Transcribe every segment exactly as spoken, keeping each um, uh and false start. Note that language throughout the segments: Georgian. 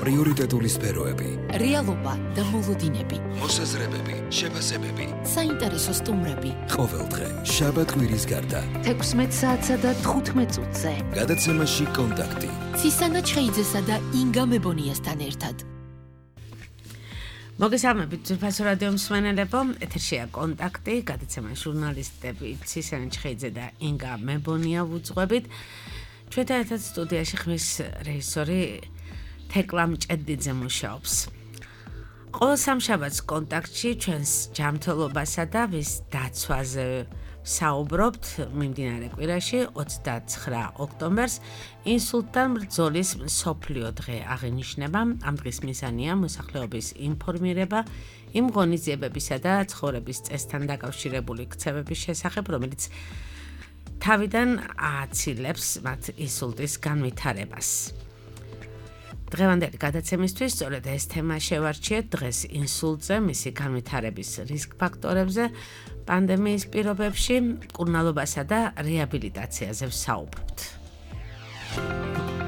პრიორიტეტული სფეროები, რეალობა და მოლოდინები, მოსაზრებები, შეფასებები, საინტერესო სტუმრები. ყოველდღე შაბათ-კვირის გარდა თექვსმეტ საათსა და თხუთმეტ წუთზე. გადაცემაში კონტაქტი. ცისანა ჩხეიძესა და ინგა მებონიასთან ერთად. მოგესალმებით ძვირფასო რადიო მსმენელებო, ეთერშია კონტაქტი, გადაცემა ჟურნალისტები ცისანა ჩხეიძე და ინგა მებონია ვუძღვებით. ჩვენთან ერთად სტუდიაში ხმის რეჟისორი თეკლა მჭედიძე მუშაობს. ყოველ სამშაბათს კონტაქტში ჩვენს ჯანმრთელობასა და ვის დაცვაზე საუბრობთ მიმდინარე კვირაში ოცდაცხრა ოქტომბერს ინსულტთან ბრძოლის მსოფლიო დღე აღინიშნება. ამ დღის მიზანია მოსახლეობის ინფორმირება იმ ღონისძიებებისა და ცხოვრების წესთან დაკავშირებული ქცევების შესახებ, რომელიც თავიდან აცილებს მათ ინსულტის განვითარებას. დღევანდელი გადაცემისთვის სწორედ ეს თემა შევარჩიეთ დღეს ინსულტზე, მისი განვითარების რისკ ფაქტორებზე, პანდემიის პირობებში, მკურნალობასა და რეაბილიტაციაზე ვსაუბრობთ.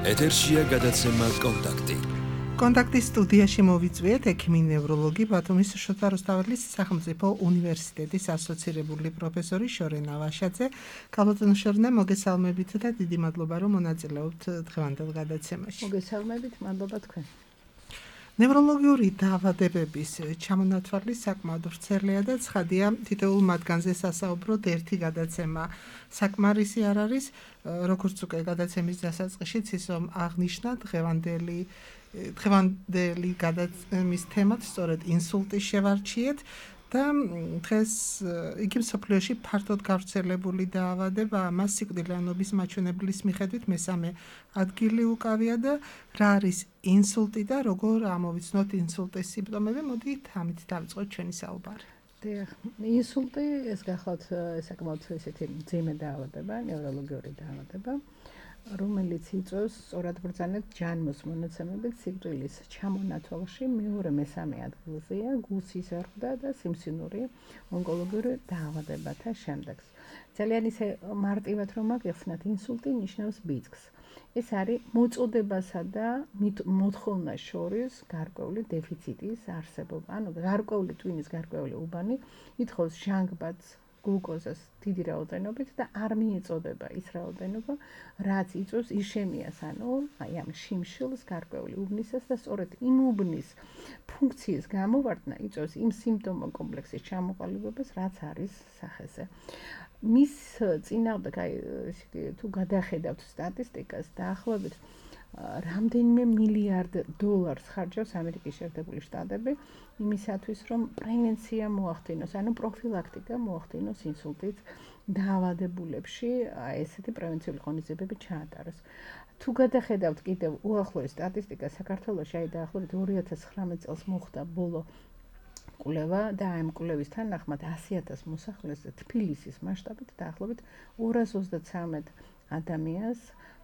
ეთერშია გადაცემა კონტაქტი. კონტაქტის სტუდიაში მოვიწვიეთ ექიმი ნევროლოგი ბათუმის შოთა რუსთაველის სახელმწიფო უნივერსიტეტის ასოცირებული პროფესორი შორენა ვაშაძე. ქალბატონო შორენა, მოგესალმებით და დიდი მადლობა რომ მონაწილეობთ დღევანდელ გადაცემაში. მოგესალმებით, მადლობა თქვენ. ნევროლოგიური დაავადებების ჩამონათვალი საკმაოდ ვრცელია და ცხადია, თითოეულ მათგანზე სასაუბროდ ერთი გადაცემა საკმარისი არ არის, როგორც უკვე გადაცემის დასაწყისშიც ისო აღნიშნა დღევანდელი დღევანდელი გადაცემის თემად სწორედ ინსულტის შევარჩიეთ და დღეს იგი მსოფლიოში ფართოდ გავრცელებული დაავადება, მას სიკვდილიანობის მაჩვენებლის მიხედვით მესამე ადგილი უკავია და რა არის ინსულტი და როგორ ამოვიცნოთ ინსულტის სიმპტომები, მოდით ამით დავიწყოთ ჩვენი საუბარი. დიახ, ინსულტი ეს გახლავთ საკმაოდ ესეთი მძიმე დაავადება, ნევროლოგიური დაავადება, რომელიც იწვევს სწორად ბრძანებთ ჯანმოს მონაცემებით სიკვდილის ჩამონათვალში მეორე მესამე ადგილზეა გულსის ზრდა და სიმსივნური ონკოლოგიური დაავადებათა შემდეგს. ძალიან ისე მარტივად რომ აგიხსნათ, ინსულტი ნიშნავს ბიძგს. ეს არის მოწოდებასა და მოთხოვნას შორის გარკვეული დეფიციტის არსებობა. ანუ გარკვეული ტვინის გარკვეული უბანი ითხოვს ჟანგბადს, გლუკოზას დიდი რაოდენობით და არ მიეწოდება ის რაოდენობა, რაც იწვევს იშემიას, ანუ აი ამ შიმშილს, გარკვეული უბნისას და სწორედ იმ უბნის ფუნქციის გამოვარდნა იწვევს იმ სიმპტომო კომპლექსის ჩამოყალიბებას, რაც არის სახეზე. მის წინააღმდეგ აი თუ გადახედავთ სტატისტიკას, დაახლოებით რამდენიმე მილიარდ დოლარს ხარჯავს ამერიკის შეერთებული შტატები იმისათვის, რომ პრევენცია მოახდინოს, ანუ პროფილაქტიკა მოახდინოს ინსულტით დაავადებულებში, ესეთი პრევენციული ღონისძიებები ჩაატაროს. თუ გადახედავთ კიდევ უახლოეს სტატისტიკას, საქართველოში აი დაახლოებით ორი ათას ცხრამეტ წელს მოხდა ბოლო კვლევა და ამ კვლევის თანახმად ასი ათას მოსახლეს თბილისის მასშტაბით დაახლოებით ორას ოცდაცამეტ ადამიანს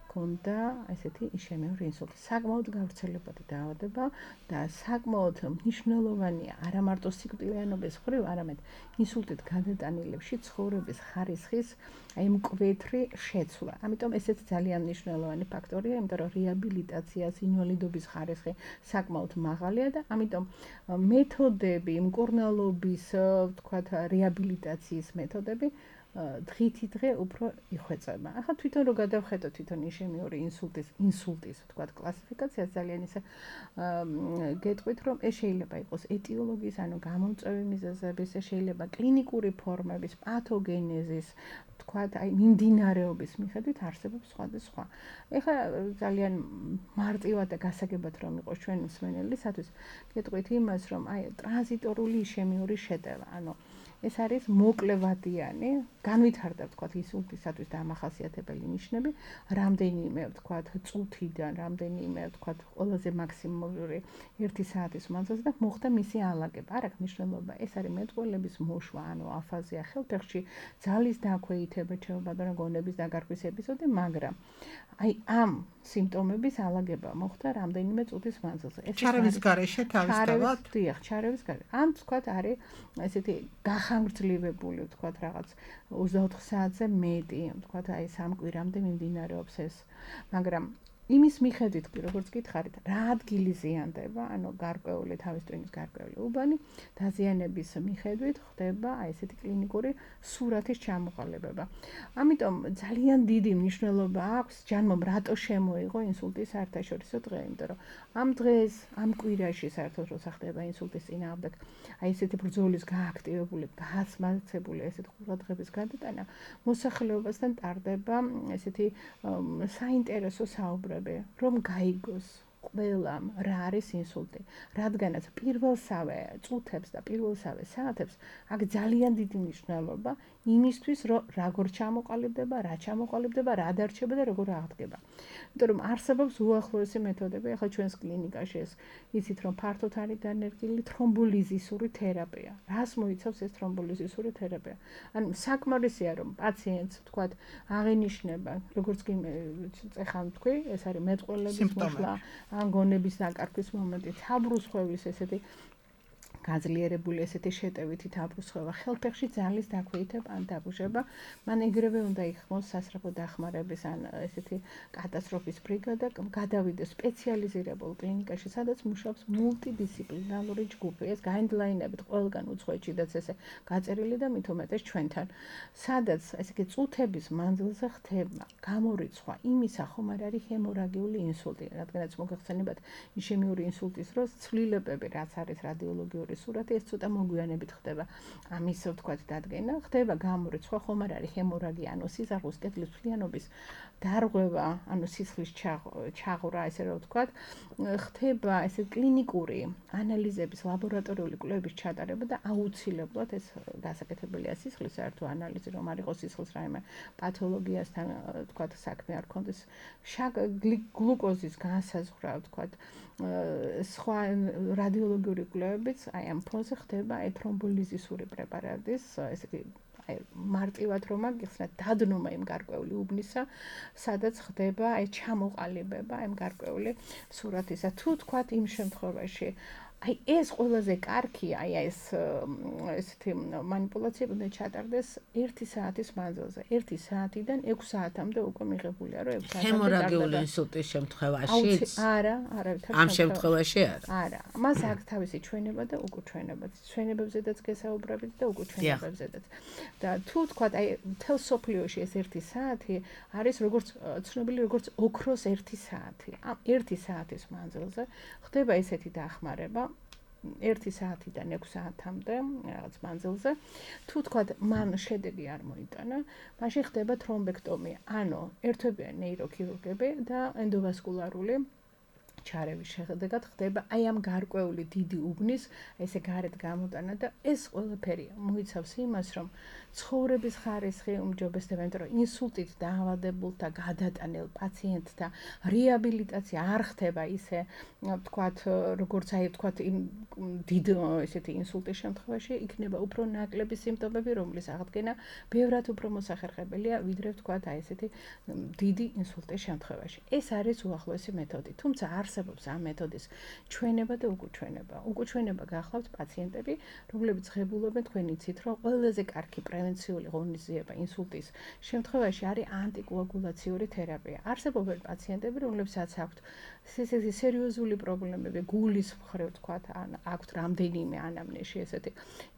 ჰქონდა ესეთი იშემიური ინსულტი. საკმაოდ გავრცელებადი დაავადება და საკმაოდ მნიშვნელოვანია არა მარტო სიკვდილიანობის მხრივ, არამედ ინსულტით გადატანილებში ცხოვრების ხარისხის აი მკვეთრი შეცვლა. ამიტომ ესეც ძალიან მნიშვნელოვანი ფაქტორია, იმიტომ რომ რეაბილიტაციას, ინვალიდობის ხარისხი საკმაოდ მაღალია და ამიტომ მეთოდები, მკურნალობის, ვთქვათ, რეაბილიტაციის მეთოდები დღითი დღე უფრო იხვეწება. ახლა თვითონ რო გადავხედოთ თვითონ იშემიური ინსულტის, ინსულტის, ვთქვათ, კლასიფიკაციას ძალიან ისე გეტყვით, რომ ეს შეიძლება იყოს ეტიოლოგიის, ანუ გამომწვევი მიზეზების, ეს შეიძლება კლინიკური ფორმების, პათოგენეზის, ვთქვათ, აი მიმდინარეობის მიხედვით არსებობს სხვადასხვა. ეხლა ძალიან მარტივად და გასაგებად რომ იყოს ჩვენ მსმენელისათვის, გეტყვით იმას, რომ აი ტრანზიტორული იშემიური შეტევა, ანუ ეს არის მოკლევადიანი, განვითარდა ვთქვათ ინსულტისათვის დამახასიათებელი ნიშნები, რამდენიმე ვთქვათ წუთიდან, რამდენიმე ვთქვათ ყველაზე მაქსიმალური ერთი საათის მანძილზე და მოხდა მისი ალაგება. არ აქვს მნიშვნელობა, ეს არის მეტყველების მოშვა, ანუ აფაზია, ხელფეხში ძალის დაქვეითება, ჩაობადრა გონების დაგარქვის ეპიზოდი, მაგრამ აი ამ სიმპტომების ალაგება მოხდა რამდენიმე წუთის მანძილზე. ეს ჩარევის გარეშე თავისთავად? დიახ, ჩარევის გარეშე. ან ვთქვათ არის ესეთი გახანგრძლივებული, ვთქვათ რაღაც ოცდაოთხ საათზე მეტი, ვთქვათ აი სამ კვირამდე მიმდინარეობს ეს. მაგრამ იმის მიხედვით კი როგორც გითხარით, რა ადგილი ზიანდება, ანუ გარკვეული თავის ტვინის გარკვეული უბანი, დაზიანების მიხედვით ხდება აი ესეთი კლინიკური სურათის ჩამოყალიბება. ამიტომ ძალიან დიდი მნიშვნელობა აქვს ჯანმომ რატო შემოიღო ინსულტის საერთაშორისო დღე, იმიტომ რომ ამ დღეს, ამ კვირაში საერთოდ როცა ხდება ინსულტის წინააღმდეგ, აი ესეთი ბრძოლის გააქტივებული, გასმაცებული ესეთი ყურადღების გადატანა, მოსახლეობასთან ტარდება ესეთი საინტერესო საუბრები, რომ გაიგოს ყველამ რა არის ინსულტი, რადგანაც პირველსავე წუთებს და პირველსავე საათებს აქ ძალიან დიდი მნიშვნელობა იმისთვის, რომ როგორ ჩამოყალიბდება, რა ჩამოყალიბდება, რა დარჩება და როგორ აღდგება. იმიტომ რომ არსებობს უახლოესი მეთოდები, ახლა ჩვენს კლინიკაში ეს იცით რომ ფართოდ არის დანერგილი თრომბოლიზისური თერაპია. რას მოიცავს ეს თრომბოლიზისური თერაპია? ანუ საკმარისია რომ პაციენტს თქვათ აღინიშნება, როგორც კი წეხან თქვი, ეს არის მეტყველების მოშლა, ან გონების დაკარგვის მომენტი, თაბრუსხვევის ესეთი გაძლიერებული ესეთი შეტევითი თაბრუსხვევა, ხელფეხში ძალის დაქვეითება ან დაბუჟება, მან ეგრევე უნდა იხმოს სასწრაფო დახმარების ან ესეთი კატასტროფის ბრიგადა, გადავიდეს სპეციალიზირებულ კლინიკაში, სადაც მუშაობს მულტიდისციპლინარული ჯგუფი. ეს გაიდლაინებით ყველგან უცხოეთშიდაც ესე გაწერილი და მით უმეტეს ჩვენთან, სადაც ესე იგი წუთების მანძილზე ხდება გამორიცხვა იმისა, ხომ არ არის ჰემორაგიული ინსულტი, რადგანაც მოგეხსენებათ იშემიური ინსულტის დროს ცვლილებები, რაც არის რადიოლოგიური სურათი, ეს ცოტა მოგვიანებით ხდება. ამის ვთქვათ დადგენა, ხდება გამორიცხვა, ხომ არ არის ჰემორაგია, ანუ სისხლის კედლის მთლიანობის დარღვევა, ანუ სისხლის ჩაღვრა, ესე რომ ვთქვათ, ხდება ესე კლინიკური ანალიზების, ლაბორატორიული კვლევების ჩატარება და აუცილებლად ეს გასაკეთებელია სისხლის საერთო ანალიზი, რომ არ იყოს სისხლის რაიმე პათოლოგიასთან, ვთქვათ, საქმე არ ქონდეს, გლუკოზის განსაზღვრა, ვთქვათ, სხვა რადიოლოგიური კვლევებიც აი ამ ფონზე ხდება აი თრომბოლიზისური პრეპარატის, ესე იგი აი მარტივად რომ აგიხსნათ დადნობა იმ გარკვეული უბნისა, სადაც ხდება აი ჩამოყალიბება იმ გარკვეული სურათისა. თუ თქვათ იმ შემთხვევაში აი ეს ყველაზე კარგია, აი ეს ესეთი манипуляციები უნდა ჩატარდეს ერთი საათის მანძილზე. ერთი საათიდან ექვსი საათამდე უკვე მიღებულია, რომ ექვსი საათამდე ჰემორაგიული ინსულტის შემთხვევაშიც? არა, არავითარ ამ შემთხვევაში არა. არა, მას აქვს თავისი ჩვენება და უკუჩვენებაც. ჩვენებებზედაც გესაუბრებით და უკუჩვენებებზედაც. და თუ თქვათ, აი მთელ სოფლიოში ეს ერთი საათი არის როგორც ცნობილი როგორც ოქროს ერთი საათი. ამ ერთი საათის მანძილზე ხდება ესეთი დახმარება ერთი საათიდან ექვსი საათამდე რაღაც მანძილზე. თუ თქვათ, მან შედეგი არ მოიტანა, მაშინ ხდება თრომბექტომია. ანუ ერთვებიან ნეიროქირურგები და ენდოვასკულარული ჩარევის შედეგად ხდება აი ამ გარკვეული დიდი უბნის ესე გარეთ გამოტანა და ეს ყველაფერი მოიცავს იმას, რომ ცხოვრების ხარისხი უმჯობესდება, იმიტომ რომ ინსულტით დაავადებულთა გადატანილ პაციენტთა რეაბილიტაცია არ ხდება ისე, ვთქვათ, როგორც აი ვთქვათ იმ დიდ ესეთი ინსულტის შემთხვევაში იქნება უფრო ნაკლები სიმპტომები, რომლის აღდგენა ბევრად უფრო მოსახერხებელია, ვიდრე ვთქვათ აი ესეთი დიდი ინსულტის შემთხვევაში. ეს არის უახლოესი მეთოდი, თუმცა არსებობს ამ მეთოდის ჩვენება და უკუჩვენება. უკუჩვენება გახლავთ პაციენტები, რომლებიც ღებულობენ, თქვენ იცით, რომ ყველაზე კარგი პრევენციული ღონისძიება ინსულტის შემთხვევაში არის ანტიკოაგულაციური თერაპია. არსებობენ პაციენტები, რომლებსაც აქვთ ესეთი სერიოზული პრობლემები, გულის მხრივ თქვათ, ან აქვთ რამდენიმე ანამნეზში ესეთი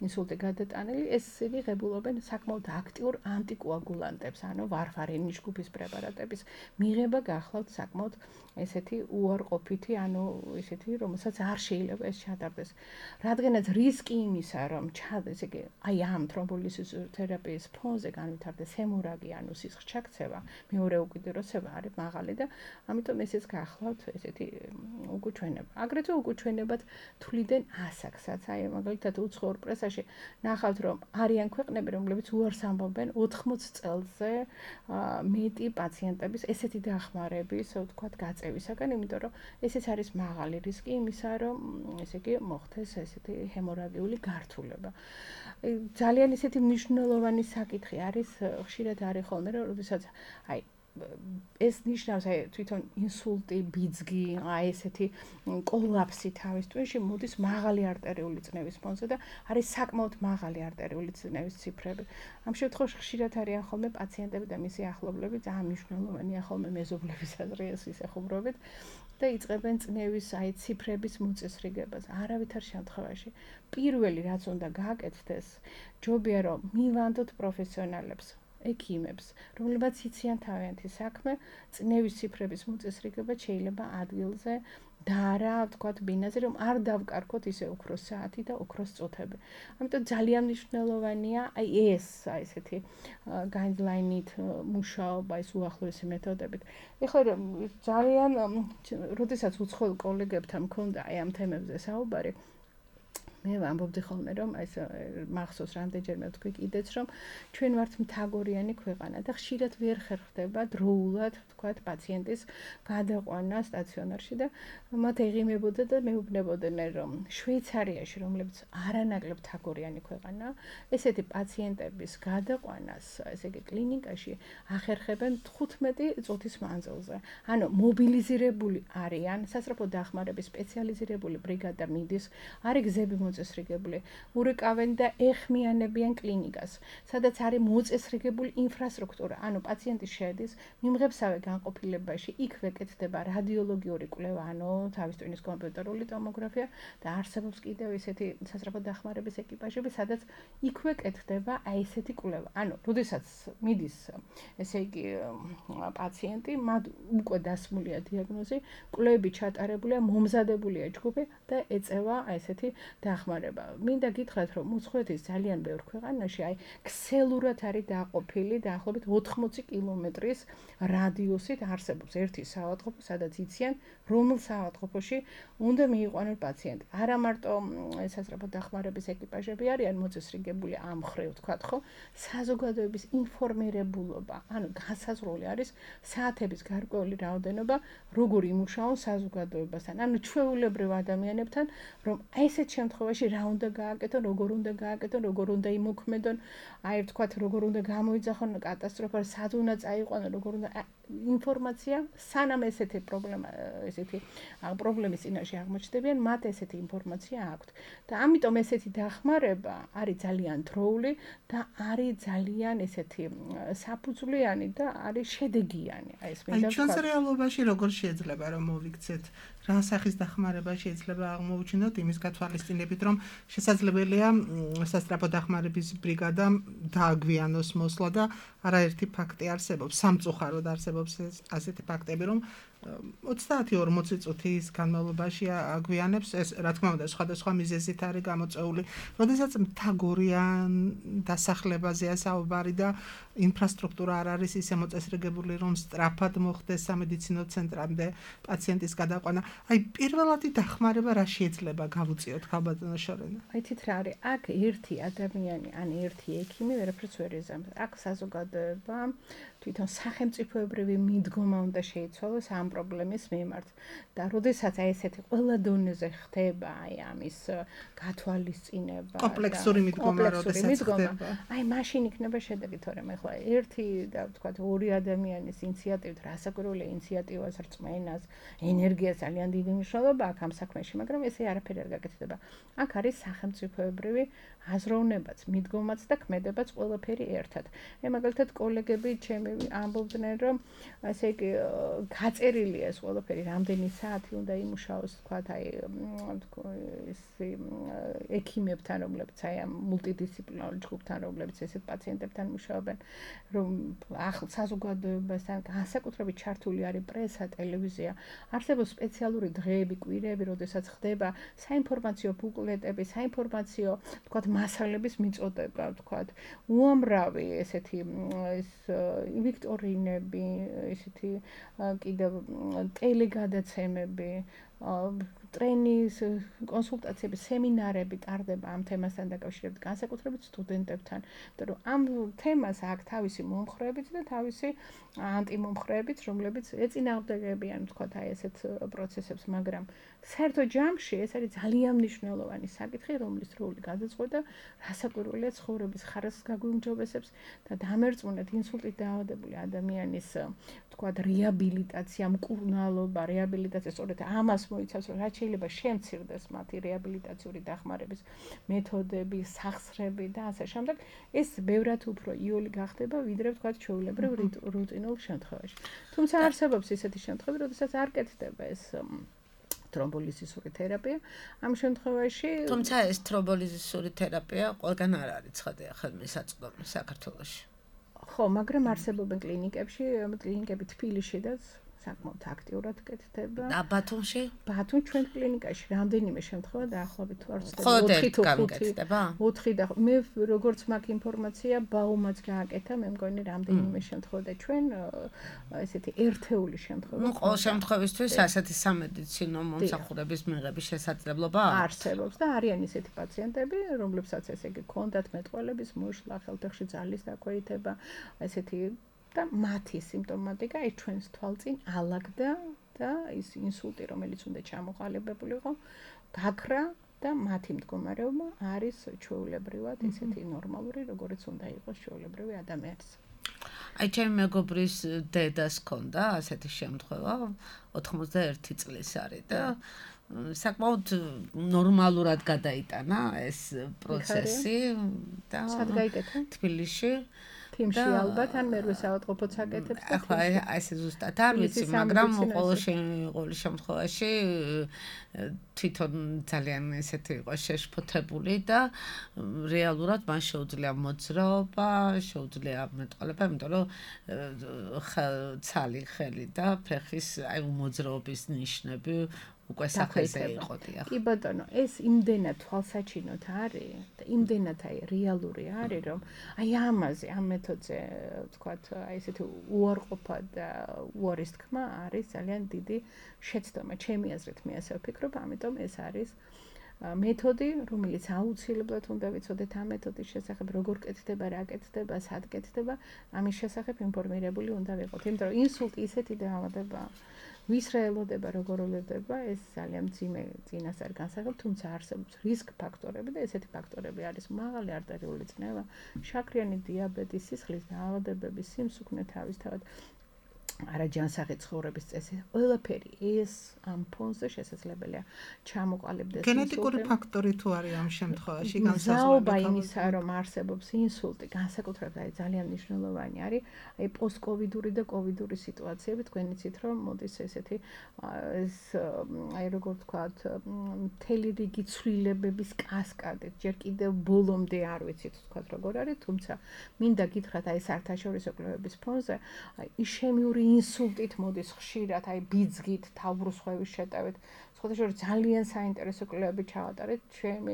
ინსულტი გადატანილი, ესენი ღებულობენ საკმაოდ აქტიურ ანტიკოაგულანტებს, ანუ ვარფარინის ჯგუფის პრეპარატების მიღება გახლავთ საკმაოდ ესეთი უარყოფითი, ანუ ესეთი, რომელსაც არ შეიძლება ეს ჩატარდეს. რადგანაც რისკი იმისა, რომ ჩადეს, იგი აი ამ თრომბოლიზისური თერაპიის ფონზე განვითარდეს ჰემორაგია, ანუ სისხლის ჩაქცევა, მეორე უკიდურესება არის მაღალი და ამიტომ ესეც გახლავთ ესეთი უკუჩვენება. აგრეთვე უკუჩვენებად თვლიდნენ ასაკსაც. აი მაგალითად უცხოურ პრესაში ნახავთ, რომ არიან ქვეყნები, რომლებიც უარს ამბობენ ოთხმოცი წელზე მეტი პაციენტების ესეთი დახმარების, ვთქვათ, გაწევისაგან, იმიტომ რომ ესეც არის მაღალი რისკი იმისა, რომ ესე იგი მოხდეს ესეთი ჰემორაგიული გართულება. ძალიან ესეთი მნიშვნელოვანი საკითხი არის, ხშირად არის ხოლმე, რომ როდესაც აი ეს ნიშნავს აი თვითონ ინსულტი, ბიძგი, აი ესეთი კოლაფსი თავის ტვინში მოდის მაღალი არტერიული წნევის ფონზე და არის საკმაოდ მაღალი არტერიული წნევის ციფრები. ამ შემთხვევაში ხშირად არიან ხოლმე პაციენტები და მისი ახლობლები, ძალიან მნიშვნელოვანია ხოლმე მეზობლების აზრიეს ისეხუმრობით და იწყებენ წნევის აი ციფრების მოწესრიგებას. არავითარ შემთხვევაში პირველი რაც უნდა გააკეთდეს, ჯობია რომ მივანდოთ პროფესიონალებს, ექიმებს, რომლებიც იციან თავიანთი საქმე, წნევის ციფრების მოწესრიგება შეიძლება ადგილზე და არა, ვთქვათ, ბინაზე, რომ არ დავკარგოთ ისე ოქროს საათი და ოქროს წუთები. ამიტომ ძალიან მნიშვნელოვანია აი ეს, აი ესეთი guideline-ით მუშაობა, ეს უახლოესი მეთოდებით. ეხლა ძალიან, როდესაც უცხოელ კოლეგებთან მქონდა აი ამ თემებზე საუბარი, მე ვამბობდი ხოლმე რომ ეს მახსოვს რამდენჯერმე ვთქვი კიდეც რომ ჩვენ ვართ მთაგორიანი ქვეყანა და ხშირად ვერ ხერხდება დროულად ვთქვათ პაციენტის გადაყვანა სტაციონარში და მათ ეღიმებოდა და მეუბნებოდნენ რომ შვეიცარიაში რომლებიც არანაკლებ მთაგორიანი ქვეყანაა ესეთი პაციენტების გადაყვანას ესე იგი კლინიკაში ახერხებენ თხუთმეტი წუთის მანძილზე ანუ მობილიზირებული არიან სასწრაფო დახმარების სპეციალიზირებული ბრიგადა მიდის არის გზები მოწესრიგებული, ურეკავენ და ეხმიანებიან კლინიკას, სადაც არის მოწესრიგებული ინფრასტრუქტურა. ანუ პაციენტი შედის მიმღებსავე განყოფილებაში, იქვე კეთდება რადიოლოგიური კვლევა, ანუ თავის ტვინის კომპიუტერული ტომოგრაფია და არსებობს კიდევ ისეთი სასწრაფო დახმარების ეკიპაჟები, სადაც იქვე კეთდება აი ესეთი კვლევა. ანუ, როდესაც მიდის, ესე იგი, პაციენტი, მათ უკვე დასმულია დიაგნოზი, კვლევები ჩატარებულია, მომზადებულია ჯგუფი და ეწევა აი ესეთი დახმარება. მინდა გითხრათ, რომ უცხოეთის ძალიან ბევრ ქვეყანაში აი ქსელურად არის დაყოფილი დაახლოებით ოთხმოცი კილომეტრის რადიუსით არსებობს ერთი საავადმყოფო, სადაც იციან, რომელ საავადმყოფოში უნდა მიიყვანონ პაციენტი. არა მარტო სასწრაფო დახმარების ეკიპაჟები არიან მოწესრიგებული ამ მხრივ, ვთქვათ, ხო? საზოგადოების ინფორმირებულობა, ანუ განსაზღვრული არის საათების გარკვეული რაოდენობა, როგორ იმუშაონ საზოგადოებასთან, ანუ ჩვეულებრივ ადამიანებთან, რომ აი ესეთ შემთხვევაში რა უნდა გააკეთონ, როგორ უნდა გააკეთონ, როგორ უნდა იმოქმედონ, აი ვთქვათ, როგორ უნდა გამოიძახონ კატასტროფა, სად უნდა წაიყვანონ, როგორ უნდა ინფორმაცია, სანამ ესეთი პრობლემა, ესეთი პრობლემის წინაშე აღმოჩნდებიან, მათ ესეთი ინფორმაცია აქვთ. და ამიტომ ესეთი დახმარება არის ძალიან დროული და არის ძალიან ესეთი საფუძვლიანი და არის შედეგიანი. აი ეს მინდა ვთქვათ. აი ჩვენს რეალობაში როგორ შეიძლება რომ მოვიქცეთ რა სახის დახმარება შეიძლება აღმოუჩინოთ იმის გათვალისწინებით, რომ შესაძლებელია სასწრაფო დახმარების ბრიგადამ დააგვიანოს მოსვლა და არაერთი ფაქტი არსებობს, სამწუხაროდ არსებობს ასეთი ფაქტები, რომ ოცდაათი ორმოცი წუთის განმავლობაში აგვიანებს ეს რა თქმა უნდა სხვადასხვა მიზეზით არის გამოწეული. როდესაც მთაგორიან დასახლებაზეა საუბარი და ინფრასტრუქტურა არ არის ისე მოწესრიგებული, რომ სწრაფად მოხდეს სამედიცინო ცენტრამდე პაციენტის გადაყვანა. აი პირველადი დახმარება რა შეიძლება გავუწიოთ ქალბატონო შორენა? აი თით რა არის? აქ ერთი ადამიანი, ან ერთი ექიმი ვერაფერს ვერ იზამს. აქ საზოგადოება თვითონ სახელმწიფოებრივი მიდგომა უნდა შეიცვალოს ამ პრობლემის მიმართ. და როდესაც აი ესეთი ყველა დონეზე ხდება აი ამის გათვალისწინება და კომპლექსური მიდგომა როდესაც ხდება, აი მაშინ იქნება შედეგი, თორემ ახლა ერთი და ვთქვათ ორი ადამიანის ინიციატივით, რასაკვირველია ინიციატივას, რწმენას, ენერგიას ძალიან დიდი მნიშვნელობა აქვს ამ საქმეში, მაგრამ ესე არაფერი არ გაკეთდება. აქ არის სახელმწიფოებრივი აზროვნებაც, მიდგომაც და ქმედებაც ყველაფერი ერთად. მე მაგალითად კოლეგები ჩემი ამბობდნენ, რომ ასე იგი გაწერილია ეს ყველაფერი, რამდენი საათი უნდა იმუშაოს, თქვათ, აი ეს ექიმებთან, რომლებიც აი ამ მულტიდისციპლინარულ ჯგუფთან, რომლებიც ესეთ პაციენტებთან მუშაობენ, რომ ახლა საზოგადოებასთან განსაკუთრებით ჩართული არის პრესა, ტელევიზია, არსებობს სპეციალური დღეები, კვირები, როდესაც ხდება საინფორმაციო ბუკლეტები, საინფორმაციო, თქვათ, მასალების მიწოდება, თქვათ, უამრავი ესეთი ეს ვიქტორინები, ესეთი კიდევ ტელეგადაცემები, ტრენის, კონსულტაციები, სემინარები ტარდება ამ თემასთან დაკავშირებით განსაკუთრებით სტუდენტებთან, იმიტომ რომ ამ თემას აქვს თავისი მომხრეებით და თავისი ანტიმომხრეებით, რომლებიც ეწინააღმდეგებიან, ვთქვათ, აი ესეთ პროცესებს, მაგრამ საერთო ჯამში ეს არის ძალიან მნიშვნელოვანი საკითხი, რომლის როლი გადაწყვეტა რასაკვირველია ცხოვრების ხარისხს გაგვიმჯობესებს და დამერწმუნეთ ინსულტით დაავადებული ადამიანის, ვთქვათ, რეაბილიტაცია, მკურნალობა, რეაბილიტაცია, სწორედ ამას მოიცავს, რომ რაც შეიძლება შემცირდეს მათი რეაბილიტაციური დახმარების მეთოდები, სახსრები და ასე შემდეგ, ეს ბევრად უფრო იოლი გახდება, ვიდრე ვთქვათ, ჩვეულებრივ რუტინულ შემთხვევაში. თუმცა არსებობს ისეთი შემთხვევები, როდესაც არ კეთდება ეს თრომბოლიზისური თერაპია. ამ შემთხვევაში, თუმცა ეს თრომბოლიზისური თერაპია ყველგან არ არის ცხადია ხელმისაწვდომი საქართველოში. ხო, მაგრამ არსებობენ კლინიკებში, კლინიკები თბილისშიდაც საკმაოდ აქტიურად კეთდება. და ბათუმში? ბათუმ ჩვენ კლინიკაში რამდენიმე შემთხვევა დაახლოებით თუ არ ვცდები ოთხი თუ ხუთი. ოთხი და მე როგორც მაქვს ინფორმაცია, ბაუმაც გააკეთა, მე მგონი რამდენიმე შემთხვევა და ჩვენ ესეთი ერთეული შემთხვევა. ნუ ყოველ შემთხვევისთვის ასეთი სამედიცინო მომსახურების მიღების შესაძლებლობა არსებობს და არიან ისეთი პაციენტები, რომლებსაც ესე იგი ჰქონდათ მეტყველების მოშლა, ხელთეხში ძალის დაქვეითება, ესეთი და მათი სიმპტომატიკა ის ჩვენს თვალწინ ალაგდა და ის ინსულტი, რომელიც უნდა ჩამოყალიბებულიყო, გაქრა და მათი მდგომარეობა არის ჩვეულებრივად ისეთი ნორმალური, როგორც უნდა იყოს ჩვეულებრივი ადამიანის. აი ჩემი მეგობრის დედას ჰქონდა ასეთი შემთხვევა, ოთხმოცდაერთი წლის არის და საკმაოდ ნორმალურად გადაიტანა ეს პროცესი და სად გაიკეთა? თბილისში. თიმში ალბათ ან მერვე საავადმყოფოც აკეთებს და ახლა ესე ზუსტად არ ვიცი, მაგრამ ყოველ შემთხვევაში თვითონ ძალიან ესეთი იყო შეშფოთებული და რეალურად მას შეუძლია მოძრაობა, შეუძლია მეტყველება, იმიტომ რომ ცალი ხელი და ფეხის აი მოძრაობის ნიშნები უკვე სახელზე იყო დიახ. კი ბატონო, ეს იმდენად თვალსაჩინოდ არის და იმდენად აი რეალური არის, რომ აი ამაზე, ამ მეთოდზე, ვთქვათ, აი ესეთი უარყოფა და უარის თქმა არის ძალიან დიდი შეცდომა. ჩემი აზრით მე ასე ვფიქრობ, ამიტომ ეს არის მეთოდი, რომელიც აუცილებლად უნდა ვიცოდეთ ამ მეთოდის შესახებ, როგორ კეთდება, რა კეთდება, სად კეთდება, ამის შესახებ ინფორმირებული უნდა ვიყოთ. იმიტომ რომ ინსულტი ისეთი დაავადება, ვის რა ელოდება, როგორ ელოდება, ეს ძალიან მძიმე წინასწარ განსაკუთრებით, თუმცა არსებობს რისკ ფაქტორები და ესეთი ფაქტორები არის მაღალი არტერიული წნევა, შაქრიანი დიაბეტი, სისხლის დაავადებები, სიმსუქნე თავისთავად, არაჯანსაღი ცხოვრების წესი, ყველაფერი ეს ამ ფონზე შესაძლებელია ჩამოყალიბდეს. გენეტიკური ფაქტორი თუ არის ამ შემთხვევაში განსაზღვრება იმისა, რომ არსებობს ინსულტი, განსაკუთრებით აი ძალიან მნიშვნელოვანი არის აი პოსტკოვიდური და კოვიდური სიტუაციები, თქვენ იცით რომ მოდის ესეთი ეს აი როგორ ვთქვათ, მთელი რიგი ცვლილებების კასკადით, ჯერ კიდევ ბოლომდე არ ვიცით ვთქვათ როგორ არის, თუმცა მინდა გითხრათ აი საერთაშორისო კვლევების ფონზე აი ისემიური ინსულტით მოდის ხშირად, აი ბიძგით, თავბრუსხვევის შეტევით. სხვადასხვა ძალიან საინტერესო კვლევები ჩავატარეთ ჩემი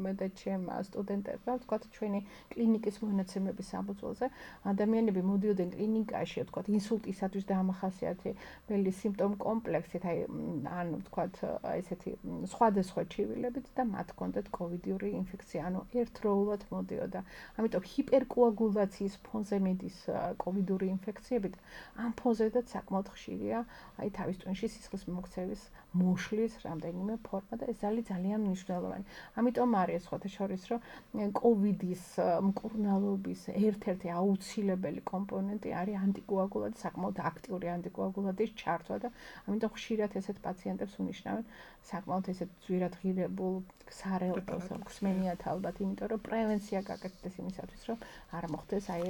მე და ჩემმა სტუდენტებმა, ვთქვათ, ჩვენი კლინიკის მონაცემების საფუძველზე. ადამიანები მოდიოდნენ კლინიკაში, ვთქვათ, ინსულტისათვის დამახასიათებელი სიმპტომ კომპლექსით, აი ან ვთქვათ, ესეთი სხვადასხვა ჩივილებით და მათ ჰქონდათ კოვიდური ინფექცია, ანუ ერთდროულად მოდიოდა. ამიტომ ჰიპერკოაგულაციის ფონზე მიდის კოვიდური ინფექციები და ამ ფონზედაც საკმაოდ ხშირია, აი თავის ტვინში სისხლის მოქცევის მოშლის რამდენიმე ფორმა და ეს არის ძალიან მნიშვნელოვანი. ამიტომ არის სხვადასხვა რომ კოვიდის მკურნალობის ერთ-ერთი აუცილებელი კომპონენტი არის ანტიკოაგულანტი, საკმაოდ აქტიური ანტიკოაგულანტის ჩართვა და ამიტომ ხშირად ესეთ პაციენტებს უნიშნავენ საკმაოდ ესეთ ძვირად ღირებულ სარეალტოს გვსმენიათ ალბათ, იმიტომ რომ პრევენცია გაკეთდეს იმისათვის, რომ არ მოხდეს აი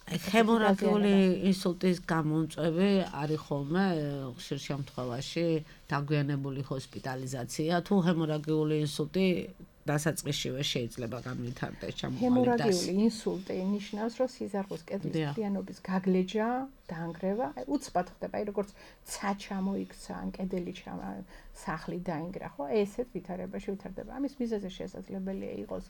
ჰემორაგიული ინსულტის გამომწვევი არის ხოლმე ხშირ შემთხვევაში დაგვიანებული ჰოსპიტალიზაცია თუ ჰემორაგიული ინსულტი დასაწყისშივე შეიძლება განვითარდეს ჩამოყალიბდეს. ჰემორაგიული ინსულტი ნიშნავს, რომ სიზარღვის კედლის მთლიანობის გაგლეჯა, დაანგრევა, აი უცბად ხდება, აი როგორც ცა ჩამოიქცა ან კედელი ჩამა სახლი დაინგრა, ხო? ესეთ ვითარებაში ვითარდება. ამის მიზეზი შესაძლებელია იყოს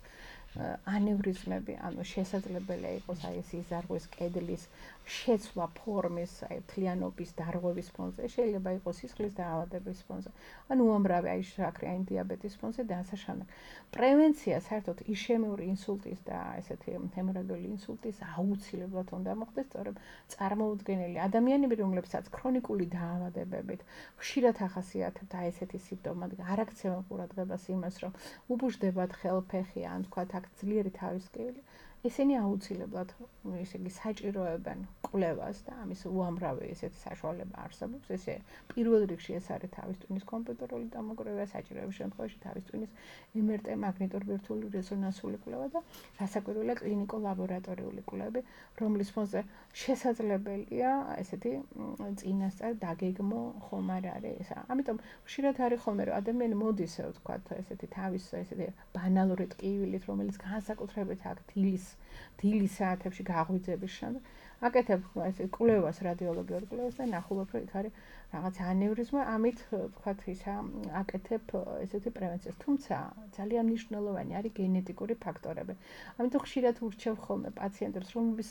ანევრიზმები, ანუ შესაძლებელია იყოს აი ეს სიზარღვის კედლის შეცვლა ფორმის, აი მთლიანობის დარღვევის ფონზე, შეიძლება იყოს სისხლის დაავადების ფონზე, ან უამრავი აი შაქრი, აი დიაბეტის ფონზე და ასე შემდეგ. პრევენცია საერთოდ იშემიური ინსულტის და ესეთი ჰემორაგიული ინსულტის აუცილებლად უნდა მოხდეს, სწორედ წარმოუდგენელი ადამიანები, რომლებსაც ქრონიკული დაავადებებით ხშირად ახასიათებთ აი ესეთი სიმპტომები, არ აქცევენ ყურადღებას იმას, რომ უბუჟდებათ ხელფეხი, ან თქვათ აქ ძლიერი თავისკივილი, ესენი აუცილებლად ესე იგი საჭიროებენ კვლევას და ამის უამრავი ესეთი საშუალება არსებობს. ესე პირველ რიგში ეს არის თავის ტვინის კომპიუტერული დამოკრევა, საჭიროების შემთხვევაში თავის ტვინის эм эр ტე მაგნიტორბირთვული რეზონანსული კვლევა და რასაკვირველია კლინიკო-ლაბორატორიული კვლევები, რომლის ფონზე შესაძლებელია ესეთი წინასწარ დაგეგმო ხომ არ არის. ამიტომ ხშირად არის ხოლმე რომ ადამიანი მოდის ვთქვათ ესეთი თავის ესეთი ბანალური ტკივილით, რომელიც განსაკუთრებით აქ დილის დილის საათებში გაღვიძების შემდეგ აკეთებ ესე კვლევას, რადიოლოგიურ კვლევას და ნახულობ რომ იქ არის რაღაც ანევრიზმა, ამით ვთქვათ ისა აკეთებ ესეთი პრევენციას. თუმცა ძალიან მნიშვნელოვანი არის გენეტიკური ფაქტორები. ამიტომ ხშირად ურჩევ ხოლმე პაციენტებს, რომლის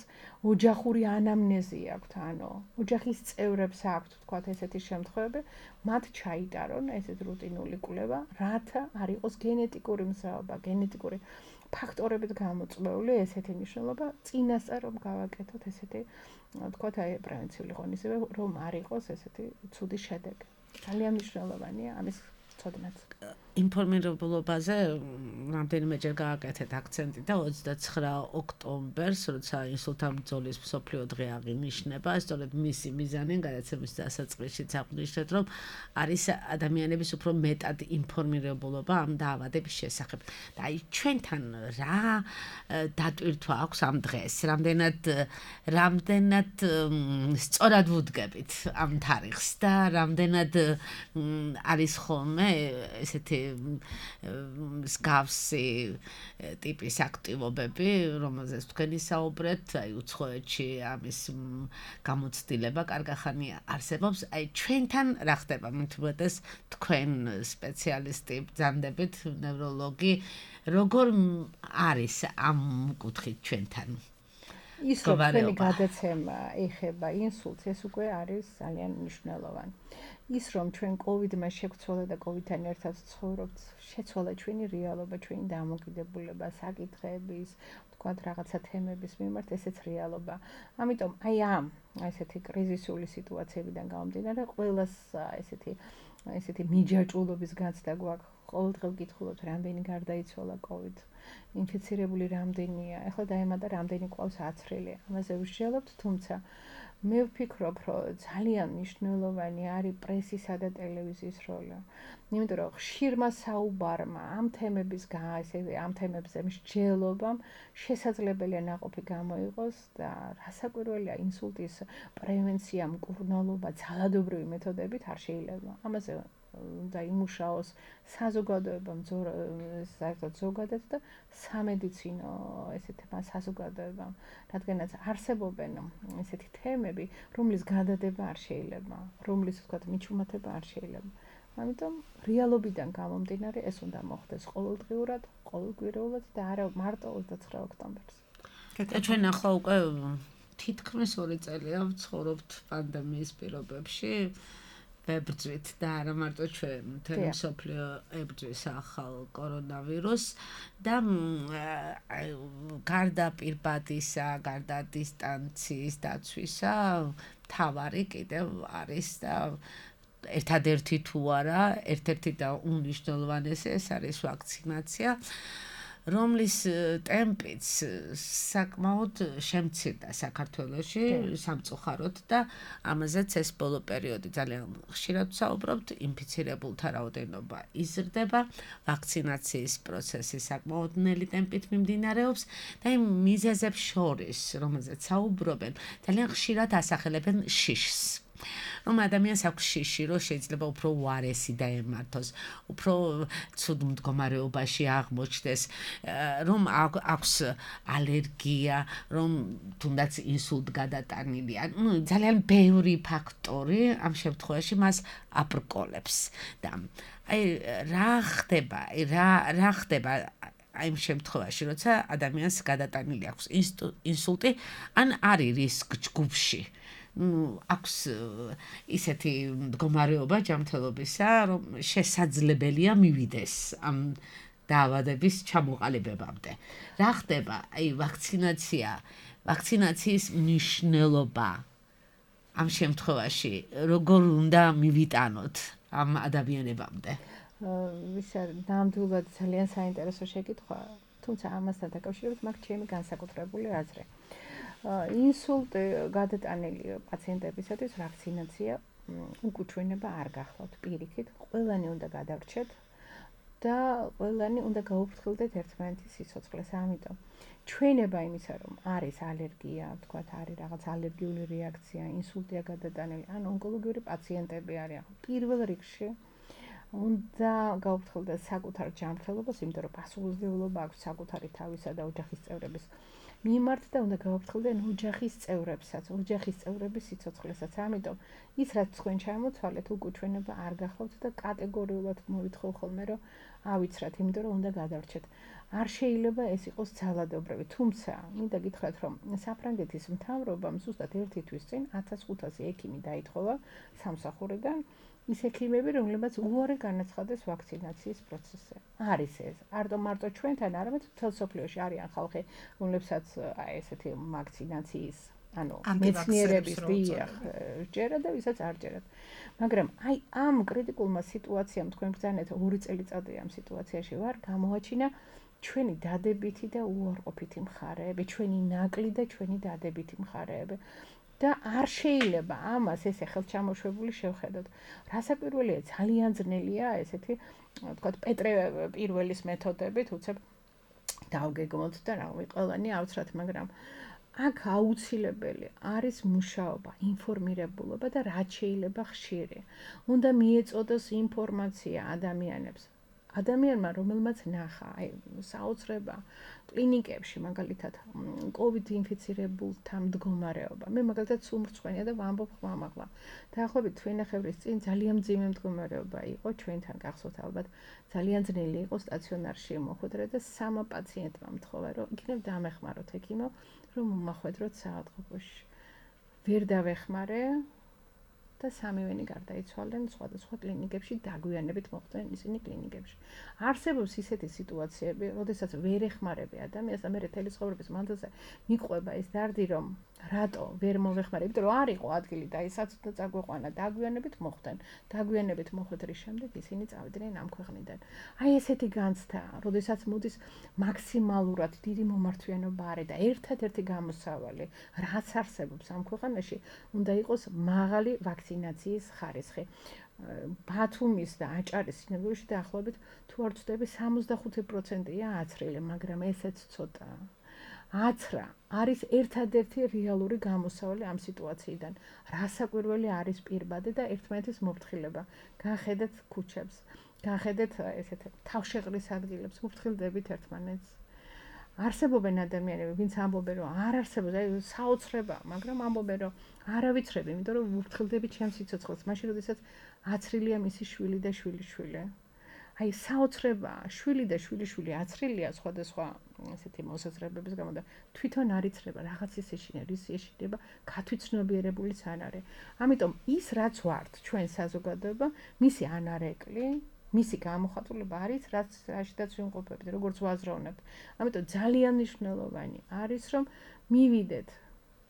ოჯახური ანამნეზი აქვთ, ანუ ოჯახის წევრებს აქვთ ვთქვათ ესეთი შემთხვევები, მათ ჩაიტარონ ესეთ რუტინული კვლევა, რათა არ იყოს გენეტიკური მზაობა, გენეტიკური ფაქტორებით გამოწვეული ესეთი ნიშნულობა, წინასწარ რომ გავაკეთოთ ესეთი ვთქვათ აი პრევენციული ღონისძიება, რომ არ იყოს ესეთი ცუდი შედეგი. ძალიან მნიშვნელოვანია ამის ცოდნაც. ინფორმირებულობაზე რამდენიმეჯერ გააკეთეთ აქცენტი და ოცდაცხრა ოქტომბერს, როცა ინსულტთა ბრძოლის მსოფლიო დღე აღინიშნება, სწორედ მისი მიზანი გადაცემის დასაწყისშიც აღნიშნეთ, რომ არის ადამიანების უფრო მეტად ინფორმირებულობა ამ დაავადების შესახებ. და აი ჩვენთან რა დატვირთვა აქვს ამ დღეს, რამდენად რამდენად სწორად ვუდგებით ამ თარიღს და რამდენად არის ხოლმე ესეთი მსგავსი ტიპის აქტივობები, რომელზეც თქვენი საუბრეთ, აი უცხოეთში ამის გამოცდილება კარგახანი არსებობს. აი ჩვენთან რა ხდება? მithumetes თქვენ სპეციალისტი ბრძანდებით, ნევროლოგი, როგორ არის ამ კუთხით ჩვენთან? ის რომ თქვენი გადაცემა ეხება ინსულტს, ეს უკვე არის ძალიან მნიშვნელოვანი. ის რომ ჩვენ კოვიდმა შეგვცვალა და კოვიდთან ერთად ცხოვრობთ, შეცვალა ჩვენი რეალობა, ჩვენი დამოკიდებულება, საკითხების, ვთქვათ, რაღაცა თემების მიმართ, ესეც რეალობა. ამიტომ აი ამ ესეთი კრიზისული სიტუაციებიდან გამომდინარე, ყველას ესეთი ესეთი მიჯაჭვულობის გაცდა გვაქვს. ყოველდღე ვკითხულობთ, რამდენი გარდაიცვალა კოვიდ, ინფიცირებული რამდენია, ახლა დაემატა რამდენი ყავს აცრილი. ამაზე ვსჯელობთ, თუმცა მე ვფიქრობ, რომ ძალიან მნიშვნელოვანი არის პრესისა და ტელევიზიის როლი. იმიტომ რომ ხშირმა საუბარმა ამ თემების ესე ამ თემებზე მსჯელობამ შესაძლებელია ნაყოფი გამოიყოს და რასაკვირველია ინსულტის პრევენცია, მკურნალობა ძალადობრივი მეთოდებით არ შეიძლება. ამაზე და იმუშაოს საზოგადოება, საერთოდ ზოგადად და სამედიცინო ესეთმა საზოგადოებამ, რადგანაც არსებობენ ესეთი თემები, რომლის გადადება არ შეიძლება, რომლის ვთქვათ მიჩუმათება არ შეიძლება. ამიტომ რეალობიდან გამომდინარე ეს უნდა მოხდეს ყოველდღიურად, ყოველკვირეულად და არა მარტო ოცდაცხრა ოქტომბერს. და ჩვენ ახლა უკვე თითქმის ორი წელია ვცხოვრობთ პანდემიის პირობებში. ვებრძვით და არა მარტო ჩვენ, მთელი მსოფლიო ებრძვის ახალ კორონავირუსს და გარდა პირბადისა, გარდა დისტანციის დაცვისა, მთავარი კიდევ არის და ერთადერთი თუ არა, ერთ-ერთი და უმნიშვნელოვანესი ეს არის ვაქცინაცია, რომლის ტემპიც საკმაოდ შემცირდა საქართველოში სამწუხაროდ და ამაზეც ეს ბოლო პერიოდი ძალიან ხშირად ვსაუბრობთ, ინფიცირებულთა რაოდენობა იზრდება, ვაქცინაციის პროცესი საკმაოდ ნელი ტემპით მიმდინარეობს და იმ მიზეზებს შორის, რომელზეც საუბრობენ, ძალიან ხშირად ასახელებენ შიშს. რომ ადამიანს აქვს შიში, რომ შეიძლება უფრო უარესი დაემართოს, უფრო ცუდ მდგომარეობაში აღმოჩნდეს, რომ აქვს ალერგია, რომ თუნდაც ინსულტ გადატანილია. ნუ ძალიან ბევრი ფაქტორი ამ შემთხვევაში მას აბრკოლებს და აი რა ხდება, რა რა ხდება აი იმ შემთხვევაში, როცა ადამიანს გადატანილი აქვს ინსულტი, ან არის რისკ ჯგუფში. ნუ აქვს ისეთი მდგომარეობა ჯანმრთელობისა, რომ შესაძლებელია მივიდეს ამ დაავადების ჩამოყალიბებამდე. რა ხდება? აი ვაქცინაცია, ვაქცინაციის მნიშვნელობა ამ შემთხვევაში როგორ უნდა მივიტანოთ ამ ადამიანებამდე? ვისა ნამდვილად ძალიან საინტერესო შეკითხვა, თუმცა ამასთან დაკავშირებით მაქვს ჩემი განსაკუთრებული აზრი. ინსულტი გადატანილი პაციენტებისათვის ვაქცინაცია უკუჩვენება არ გახლავთ პირიქით, ყველანი უნდა გადავრჩეთ და ყველანი უნდა გაუფრთხილდეთ ერთმანეთის სიცოცხლეს. ამიტომ ჩვენება იმისა, რომ არის ალერგია, თქვათ არის რაღაც ალერგიული რეაქცია, ინსულტია გადატანილი, ან ონკოლოგიური პაციენტები არიან. პირველ რიგში უნდა გაუფრთხილდეთ საკუთარ ჯანმრთელობას, იმიტომ რომ პასუხისმგებლობა აქვს საკუთარი თავისა და ოჯახის წევრების მიმართ და უნდა გაუფრთხილდეთ ოჯახის წევრებსაც, ოჯახის წევრების სიცოცხლესაც. ამიტომ ის რაც თქვენ ჩამოთვალეთ, უკუჩვენება არ გახლავთ და კატეგორიულად მოვითხოვ ხოლმე, რომ ავიცრათ, იმიტომ რომ უნდა გადავრჩეთ. არ შეიძლება ეს იყოს ძალადობრივი, თუმცა მინდა გითხრათ, რომ საფრანგეთის მთავრობამ ზუსტად ერთი თვის წინ ათას ხუთასი ექიმი დაითხოვა სამსახურიდან, ის ექიმები, რომლებიც უარი განაცხადეს ვაქცინაციის პროცესზე. არის ეს, არდო მარტო ჩვენთან, არამედ მთელ მსოფლიოში არიან ხალხი, რომლებსაც აი ესეთი ვაქცინაციის, ანუ მეცნიერების დიახ, ჯერა და ვისაც არ ჯერათ. მაგრამ აი ამ კრიტიკულმა სიტუაციამ თქვენ ბრძანეთ ორი წელიწადი ამ სიტუაციაში ვარ, გამოაჩინა ჩვენი დადებითი და უარყოფითი მხარეები, ჩვენი ნაკლი და ჩვენი დადებითი მხარეები. და არ შეიძლება ამას ესე ხელჩამოშვებული შევხედოთ. რასაკვირველია, ძალიან ძნელია ესეთი, თქვათ, პეტრე პირველის მეთოდებით, უცებ დავგეგმოთ და რა ვიცი, ყველანი ავცრათ, მაგრამ აქ აუცილებელი არის მუშაობა, ინფორმირებულობა და რაც შეიძლება ხშირი. უნდა მიეწოდოს ინფორმაცია ადამიანებს. ადამიანმა, რომელმაც ნახა, აი, საოცრება კლინიკებში, მაგალითად, კოვიდ ინფიცირებულთა მდგომარეობა. მე მაგალითად სუმრცხვენია და ვამბობ ხმამაღლა. დაახლოებით თვენახევრის წინ ძალიან მძიმე მდგომარეობა იყო ჩვენთან, გახსოვთ ალბათ, ძალიან ძნელი იყო სტაციონარში მოხვედრა და სამა პაციენტმა მთხოვა, რომ იქნებ დამეხმაროთ ექიმო, რომ მომახვედროთ საავადმყოფოში. ვერ დავეხმარე და სამივენი გარდაიცვალნენ სხვადასხვა კლინიკებში, დაგვიანებით მოხვდნენ ისინი კლინიკებში. არსებობს ისეთი სიტუაციები, როდესაც ვერ ეხმარები ადამიანს და მე მთელი ცხოვრების მანძილზე მიყვება ეს დარდი, რომ რატო ვერ მოვეხმარე, იმიტომ რომ არ იყო ადგილი და ისაც და წაგვეყვანა, დაგვიანებით მოხვდნენ. დაგვიანებით მოხვედრის შემდეგ ისინი წავიდნენ ამ ქვეყნიდან. აი ესეთი განცდა, როდესაც მოდის მაქსიმალურად დიდი მომართვიანობა არის და ერთადერთი გამოსავალი, რაც არსებობს ამ ქვეყანაში, უნდა იყოს მაღალი ვაქცინაციის ხარისხი. ბათუმის და აჭარის სინაგოგაში დაახლოებით თუ არ ვცდები სამოცდახუთი პროცენტია აცრილი, მაგრამ ესეც ცოტაა. აცრა არის ერთადერთი რეალური გამოსავალი ამ სიტუაციიდან. რასაკვირველი არის პირბადე და ერთმანეთის მოფრთხილება. გახედეთ ქუჩებს, გახედეთ ესეთ თავშეყრის ადგილებს, მოფრთხილდებით ერთმანეთს. არსებობენ ადამიანები, ვინც ამბობენ, რომ არ არსებობს, აი საოცრება, მაგრამ ამბობენ, რომ არ ავიცრები, იმიტომ რომ მოფრთხილდები ჩემს სიცოცხლეს, მაშინ როდესაც აცრილია მისი შვილი და შვილიშვილი. აი საოცრება, შვილი და შვილიშვილი აცრილია სხვადასხვა ესეთი მოსაზრებების გამო და თვითონ არ იცრება რაღაც ის ეშინა, რის ეშინება, გათვითცნობიერებულიც არ არის. ამიტომ ის რაც ვართ ჩვენ საზოგადოება, მისი ანარეკლი, მისი გამოხატულება არის, რაც რაშიდაც ვიმყოფებით, როგორც ვაზროვნებთ. ამიტომ ძალიან მნიშვნელოვანი არის, რომ მივიდეთ,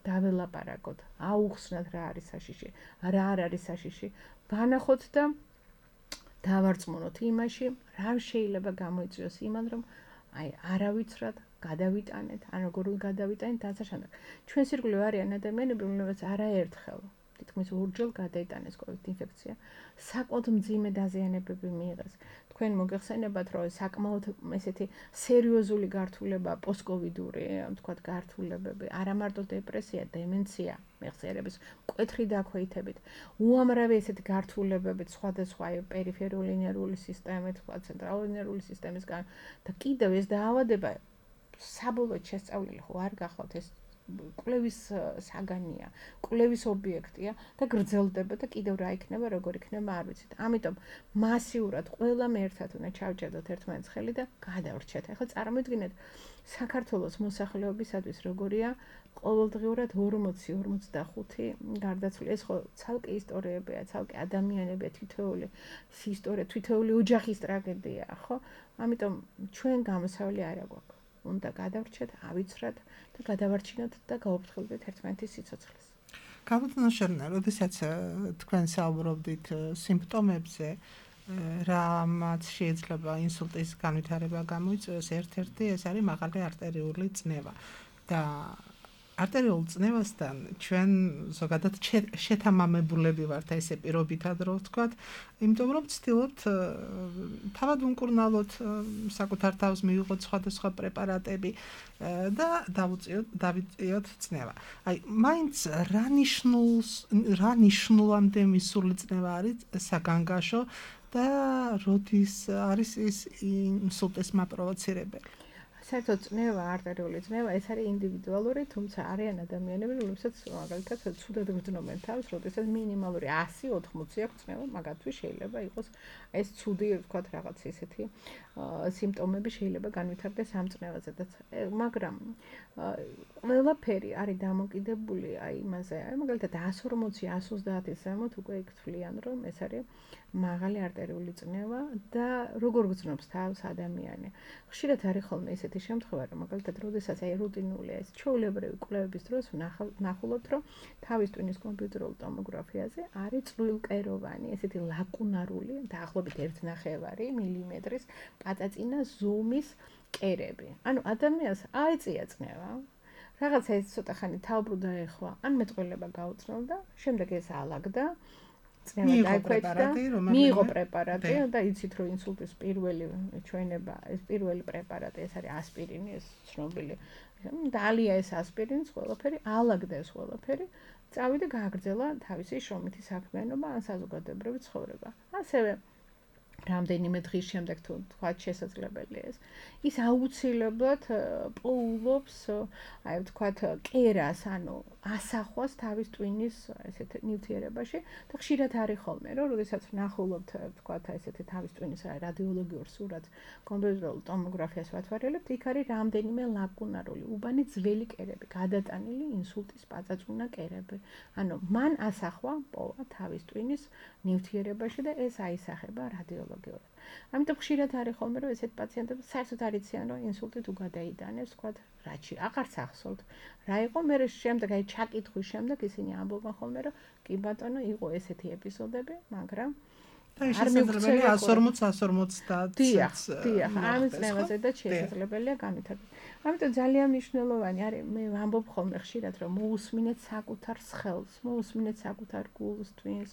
დაველაპარაკოთ, აუხსნათ რა არის საშიში, რა არ არის საშიში, ვანახოთ და დავარწმუნოთ იმაში, რა შეიძლება გამოიწვიოს იმან, რომ აი არავიცრად გადავიტანეთ, ან როგორ გადავიტანეთ დასაშანად. ჩვენს ირგვლივ არიან ადამიანები, რომლებიც არაერთხელ თითქმის ორჯერ გადაიტანეს კოვიდ ინფექცია, საკმაოდ მძიმე დაზიანებები მიიღეს. თქვენ მოგეხსენებათ, რომ საკმაოდ ესეთი სერიოზული გართულება პოსტკოვიდური, თქვათ, გართულებები, არა მარტო დეპრესია, დემენცია, მეხსიერების მკვეთრი დაქვეითებით, უამრავი ესეთი გართულებებით სხვადასხვა პერიფერიული ნერვული სისტემით, თქვათ, ცენტრალური ნერვული სისტემისგან და კიდევ ეს დაავადება საბოლოოდ შესწავლილი ხო არ გახლავთ ეს კვლევის საგანია, კვლევის ობიექტია და გრძელდება და კიდევ რა იქნება, როგორ იქნება, არ ვიცით. ამიტომ მასიურად ყველამ ერთად უნდა ჩავჭედოთ ერთმანეთს ხელი და გადავრჩეთ. ახლა წარმოიდგინეთ საქართველოს მოსახლეობისათვის როგორია ყოველდღიურად ორმოცი ორმოცდახუთი გარდაცვლილი. ეს ხო ცალკე ისტორიებია, ცალკე ადამიანებია, თითოეული ისტორია, თითოეული ოჯახის ტრაგედია, ხო? ამიტომ ჩვენ გამოსავალი არა გვაქვს. უნდა გადავრჩეთ, ავიცრათ და გადავარჩინოთ და გაუფრთხილდეთ ერთმანეთის სიცოცხლეს. გამოდნაშერნა, როდესაც თქვენ საუბრობდით სიმპტომებზე, რამაც შეიძლება ინსულტის განვითარება გამოიწვიოს, ერთ-ერთი ეს არის მაღალი არტერიული წნევა და არტერიული წნევასთან ჩვენ ზოგადად შეთამამებულები ვართ, ესე პირობითად რო ვთქვათ, იმიტომ რომ ვცდილობთ თავად უმკურნალოთ, საკუთარ თავს მივიღოთ სხვადასხვა პრეპარატები და დავუწიოთ, დავიწიოთ წნევა. აი, მაინც რა ნიშნულს, რა ნიშნულამდე მისული წნევა არის საგანგაშო და როდის არის ის ინსულტის მაპროვოცირებელი? საერთოდ წნევა, არტერიული წნევა, ეს არის ინდივიდუალური, თუმცა არიან ადამიანები, რომლებსაც მაგალითად ცუდად გრძნობენ თავს, როდესაც მინიმალური ასი ოთხმოცი აქვს წნევა, მაგათთვის შეიძლება იყოს ეს ცუდი, ვთქვათ, რაღაც ისეთი სიმპტომები შეიძლება განვითარდეს ამ წნევაზე და მაგრამ ყველაფერი არის დამოკიდებული აი იმაზე, აი მაგალითად εκατს ორმოცი εκατს ოცდაათის ზემოთ უკვე იქ თვლიან, რომ ეს არის მაღალი არტერიული წნევა და როგორ გრძნობს თავს ადამიანი. ხშირად არის ხოლმე ესეთი შემთხვევა, რომ მაგალითად, როდესაც აი რუტინულია ეს ჩვეულებრივი კვლევების დროს ვნახულობთ, რომ თავის ტვინის კომპიუტერულ ტომოგრაფიაზე არის წვრილკეროვანი, ესეთი ლაკუნარული, დაახლოებით ერთ ნახევარი მილიმეტრის პაწაწინა ზომის კერები. ანუ ადამიანს აეწია წნევა, რაღაცა ეს ცოტა ხანი თავბრუ დაეხვა, ან მეტყველება გაუწნელდა, შემდეგ ეს ალაგდა, წნევა დაიქვეჭდა, მიიღო პრეპარატი და იცით რომ ინსულტის პირველი ჩვენება, ეს პირველი პრეპარატი, ეს არის ასპირინი, ეს ცნობილი. დალია ეს ასპირინს, ყველაფერი, ალაგდა ეს ყველაფერი, წავიდა გააგრძელა თავისი შრომითი საქმიანობა ან საზოგადოებრივი ცხოვრება. ასევე რამდენიმე დღის შემდეგ თუ თქვათ შესაძლებელია ეს, ის აუცილებლად პოულობს, აი ვთქვათ, კერას, ანუ ასახვას თავის ტვინის ესეთ ნივთიერებაში და ხშირად არის ხოლმე, რომ როდესაც ვნახულობთ, ვთქვათ, ესეთი თავის ტვინის რადიოლოგიურ სურათს, კომპიუტერულ ტომოგრაფიას ვათვალიერებთ, იქ არის რამდენიმე ლაკუნარული, უბანი ძველი კერები, გადატანილი ინსულტის პაწაწუნა კერები. ანუ მან ასახვა პოვა თავის ტვინის ნივთიერებაში და ეს აისახება რადიოლოგიურად. ამიტომ ხშირად არის ხოლმე, რომ ესეთ პაციენტებს საერთოდ არ იციან, რომ ინსულტი თუ გადაიდანეს, ვთქვათ, რაჩი, აღარც ახსოვთ. რა იყო, მე შემდეგ აი ჩაკითხვის შემდეგ ისინი ამბობენ ხოლმე, რომ კი ბატონო, იყო ესეთი ეპიზოდები, მაგრამ და შესაძლებელია εκατს ორმოცი εκατს ორმოცდაათს. დიახ, დიახ, ამ წნევაზე და შესაძლებელია განვითარება. ამიტომ ძალიან მნიშვნელოვანი არის, მე ვამბობ ხოლმე ხშირად, რომ მოусმინეთ საკუთარ სხელს, მოусმინეთ საკუთარ გულს, ტვინს,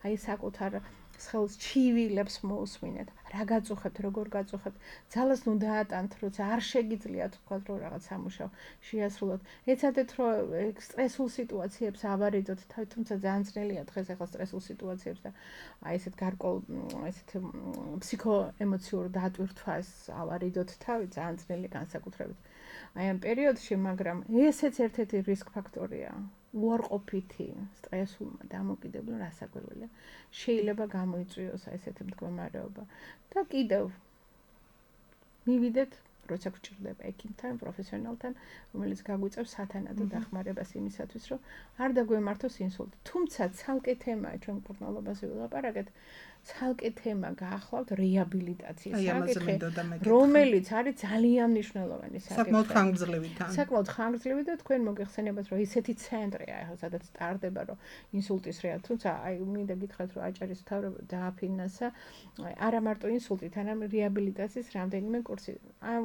აი საკუთარ სხელს ჩივილებს მოусმინეთ. რა გაწუხებთ, როგორ გაწუხებთ, ძალას ნუ დაატანთ, როცა არ შეგიძლიათ თქვა რომ რაღაც სამუშაო შეასრულოთ. ეცადეთ რომ სტრესულ სიტუაციებს ავარიდოთ, თუმცა ძალიან ძნელია დღეს ახლა სტრესულ სიტუაციებს და აი ესეთ გარკვეულ ესეთ ფსიქოემოციურ დატვირთვას ავარიდოთ თავი, ძალიან ძნელი განსაკუთრებით. აი ამ პერიოდში, მაგრამ ესეც ერთ-ერთი რისკ ფაქტორია. უარყოფითი, სტრესულმა დამოკიდებულმა რასაკვირველია. შეიძლება გამოიწვიოს ესეთი მდგომარეობა. და კიდევ მივიდეთ, როცა გჭირდება ექიმთან, პროფესიონალთან, რომელიც გაგვიწევს სათანადო დახმარებას იმისათვის, რომ არ დაგვემართოს ინსულტი. თუმცა ცალკე თემაა ჩვენ მკურნალობაზე ვილაპარაკეთ, ცალკე თემა გაახლავთ რეაბილიტაციის საკითხი, რომელიც არის ძალიან მნიშვნელოვანი საკითხი. საკმაოდ ხანგრძლივი თან. საკმაოდ ხანგრძლივი და თქვენ მოგეხსენებათ, რომ ისეთი ცენტრია, ახლა სადაც ტარდება, რომ ინსულტის რეა, თუმცა აი მინდა გითხრათ, რომ აჭარის მთავრობა დააფინანსა არა მარტო ინსულტით, არამედ რეაბილიტაციის რამდენიმე კურსი. ამ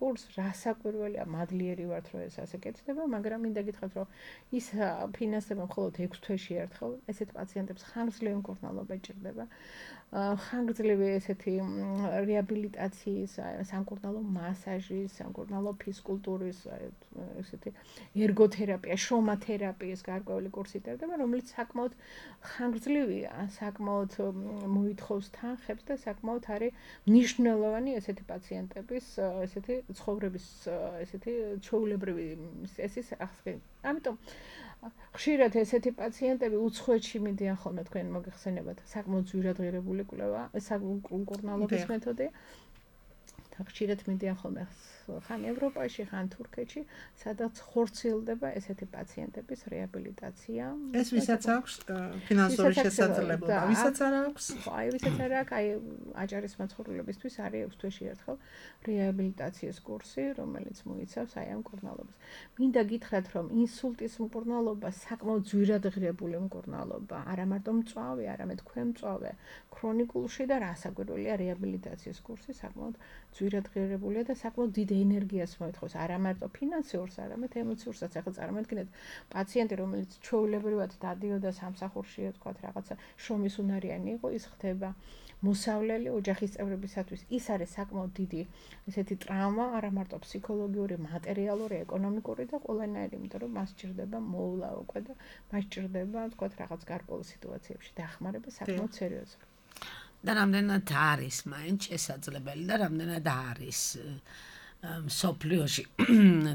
კურსს რასაკვირველია, მადლიერი ვართ, რომ ეს ასე კეთდება, მაგრამ მინდა გითხრათ, რომ ის ფინანსდება მხოლოდ ექვს თვეში ერთხელ, ესეთ პაციენტებს ხანგრძლივი მკურნალობა ჭირდება. ხანგრძლივი ესეთი რეაბილიტაციის, სამკურნალო მასაჟის, სამკურნალო ფიზკულტურის, ესეთი ერგოთერაპია, შრომათერაპიის გარკვეული კურსი იტარდება, რომელიც საკმაოდ ხანგრძლივია, საკმაოდ მოითხოვს თანხებს და საკმაოდ არის მნიშვნელოვანი ესეთი პაციენტების, ესეთი ცხოვრების, ესეთი ჩვეულებრივი წესის აღსრა. ამიტომ ხშირად ესეთი პაციენტები უცხოეთში მიდიან ხოლმე თქვენ მოგეხსენებათ საკმაოდ ძვირადღირებული კვლევა საკურნალობის მეთოდი და ხშირად მიდიან ხოლმე ხან ევროპაში ხან თურქეთში სადაც ხორციელდება ესეთი პაციენტების რეაბილიტაცია ეს ვისაც აქვს ფინანსური შესაძლებლობა ვისაც არ აქვს აი ვისაც არ აქვს აი აჭარის მაცხოვრებლებისთვის არის ექვს თვეში ერთხელ რეაბილიტაციის კურსი რომელიც მოიცავს აი ამ კურნალობას მინდა გითხრათ რომ ინსულტის მკურნალობა საკმაოდ ძვირადღირებული მკურნალობა არა მარტო მწვავე არამედ ქვემწვავე ქრონიკულში და რასაკვირველია რეაბილიტაციის კურსი საკმაოდ ძვირადღირებულია და საკმაოდ დიდ ენერგიას მოითხოვს არა მარტო ფინანსიურს, არამედ ემოციურსაც. ახლა წარმოიდგინეთ პაციენტი, რომელიც ჩვეულებრივად დადიოდა სამსახურში, თქვათ რაღაცა შრომის უნარიანი იყო, ის ხდება მოსავლელი ოჯახის წევრებისათვის. ის არის საკმაოდ დიდი ესეთი ტრავმა, არა მარტო ფსიქოლოგიური, მატერიალური, ეკონომიკური და ყველანაირი, იმიტომ რომ მას ჭირდება მოვლა უკვე და მას ჭირდება, თქვათ რაღაც გარკვეულ სიტუაციებში დახმარება საკმაოდ სერიოზული. და რამდენად არის მაინც შესაძლებელი და რამდენად არის სოფლიოში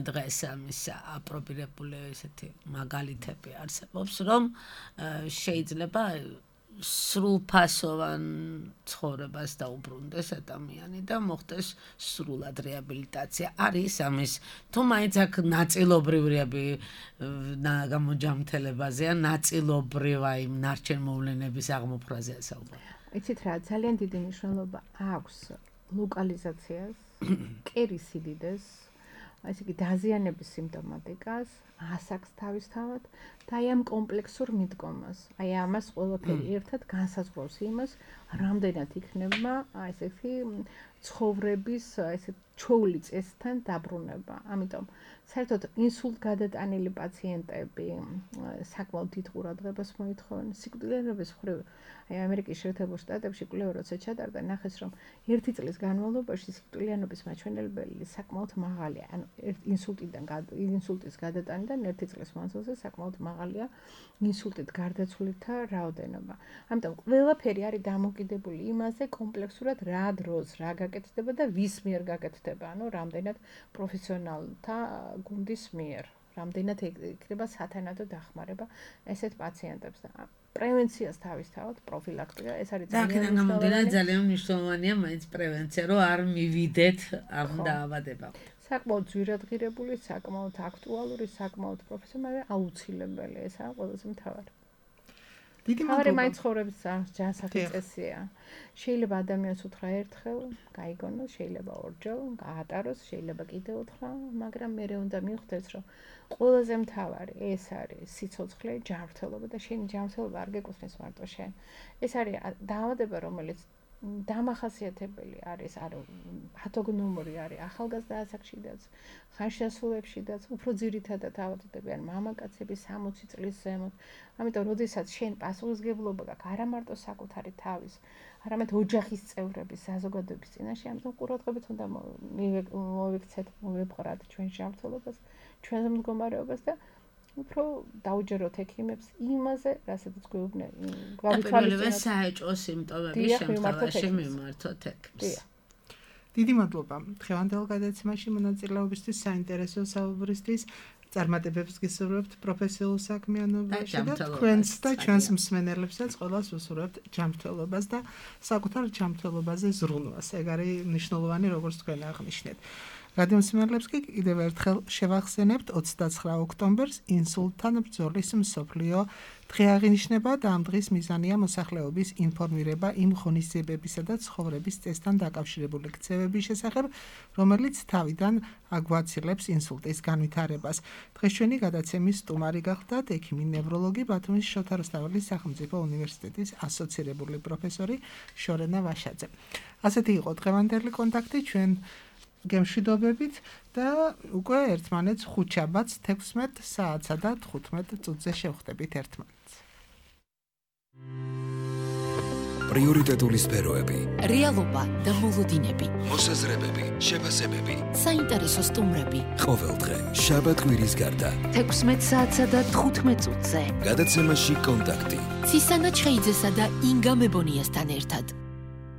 დღეს ამის აპრობირებული ესეთი მაგალითები არსებობს, რომ შეიძლება სრულფასოვან ცხოვრებას დაუბრუნდეს ადამიანი და მოხდეს სრულად რეაბილიტაცია. არის ამის თუ მაინც აქ ნაწილობრივი გამოჯამთელებაზეა, ნაწილობრივ აი ნარჩენ მოვლენების აღმოფხვრაზეა საუბარი. იცით რა, ძალიან დიდი მნიშვნელობა აქვს ლოკალიზაციას, კერის სიდიდეს, ესე იგი დაზიანების სიმპტომატიკას, ასაკს თავისთავად და აი ამ კომპლექსურ მიდგომას. აი ამას ყველაფერი ერთად განსაზღვრავს იმას, რამდენად იქნება აი ესეთი ცხოვრების ესე ჩვეული წესთან დაბრუნება. ამიტომ საერთოდ ინსულტგადატანილი პაციენტები საკმაოდ დიდ ყურადღებას მოითხოვენ. სიკვდილიანობის მხრივ აი ამერიკის შეერთებულ შტატებში კვლევა როცა ჩატარდა, ნახეს რომ ერთი წლის განმავლობაში სიკვდილიანობის მაჩვენებელი საკმაოდ მაღალია. ანუ ინსულტიდან ინსულტის გადატანიდან ერთი წლის მანძილზე საკმაოდ მაღალია ინსულტით გარდაცვლითა რაოდენობა. ამიტომ ყველაფერი არის დამოკიდებული იმაზე კომპლექსურად რა დროს რა გაკეთდება და ვის მიერ გაკეთდება. ანუ რამდენად პროფესიონალთა გუნდის მიერ, რამდენად იქნება სათანადო დახმარება ესეთ პაციენტებს და პრევენციას თავისთავად პროფილაქტიკა ეს არის ძალიან მნიშვნელოვანი. ძალიან მნიშვნელოვანია მაინც პრევენცია, რომ არ მივიდეთ ამ დაავადებამდე. საკმაოდ ძვირადღირებული, საკმაოდ აქტუალური, საკმაოდ პროფესიონალი, აუცილებელი, ესაა ყველაზე მთავარი. დიდი მადლობა. მაინც ცხოვრების ჯანსაღი წესია. შეიძლება ადამიანს უთხრა ერთხელ, გაიგონოს, შეიძლება ორჯერ, გაატაროს, შეიძლება კიდევ უთხრა, მაგრამ მე უნდა მიხვდეს, რომ ყველაზე მთავარი ეს არის სიცოცხლე, ჯანმრთელობა და შენი ჯანმრთელობა არ გეკუთვნის მარტო შენ. ეს არის დაავადება, რომელიც დამახასიათებელი არის, არის პათოგნომური არის ახალგაზრდა ასაკშიდაც, ხანშესულებშიდაც, უფრო ძირითადად ავადდებიან მამაკაცები სამოცი წლის ზემოთ. ამიტომ როდესაც შენ პასუხისმგებლობა გაქვს არა მარტო საკუთარი თავის, არამედ ოჯახის წევრების, საზოგადოების წინაშე, ამიტომ ყურადღებით უნდა მოვიქცეთ, მოვებყრათ ჩვენ ჯანმრთელობას, ჩვენს მდგომარეობას და უფრო დაუჯეროთ ექიმებს იმაზე, რასაც გვეუბნენ. გავითვალისწინოთ საეჭვო სიმპტომების შემთხვევაში მიმართოთ ექიმს. დიდი მადლობა დღევანდელ გადაცემაში მონაწილეობისთვის, საინტერესო საუბრისთვის. წარმატებებს გისურვებთ პროფესიულ საქმიანობაში და თქვენს და ჩვენს მსმენელებსაც ყველას ვუსურვებთ ჯანმრთელობას და საკუთარ ჯანმრთელობაზე ზრუნვას. ეგ არის მნიშვნელოვანი, როგორც თქვენ აღნიშნეთ. რადიო მსმენელებს კი კიდევ ერთხელ შევახსენებთ ოცდაცხრა ოქტომბერს ინსულტთან ბრძოლის მსოფლიო დღე აღინიშნება და ამ დღის მიზანია მოსახლეობის ინფორმირება იმ ღონისძიებებისა და ცხოვრების წესთან დაკავშირებული ქცევების შესახებ, რომელიც თავიდან აგვაცილებს ინსულტის განვითარებას. დღეს ჩვენი გადაცემის სტუმარი გახლდათ ექიმი ნევროლოგი ბათუმის შოთა რუსთაველის სახელმწიფო უნივერსიტეტის ასოცირებული პროფესორი შორენა ვაშაძე. ასეთი იყო დღევანდელი კონტაქტი ჩვენ გემშვიდობებით და უკვე ერთმანეთს ხუთშაბათს თექვსმეტ საათსა და თხუთმეტ წუთზე შევხვდებით ერთმანეთს. პრიორიტეტული სფეროები, რეალობა და მოლოდინები, მოსაზრებები, შეფასებები. საინტერესო სტუმრები. ყოველდღე შაბათ კვირის გარდა. თექვსმეტ საათსა და თხუთმეტ წუთზე. გადაცემაში კონტაქტი. ცისანა ჩხეიძესა და ინგა მებონიასთან ერთად.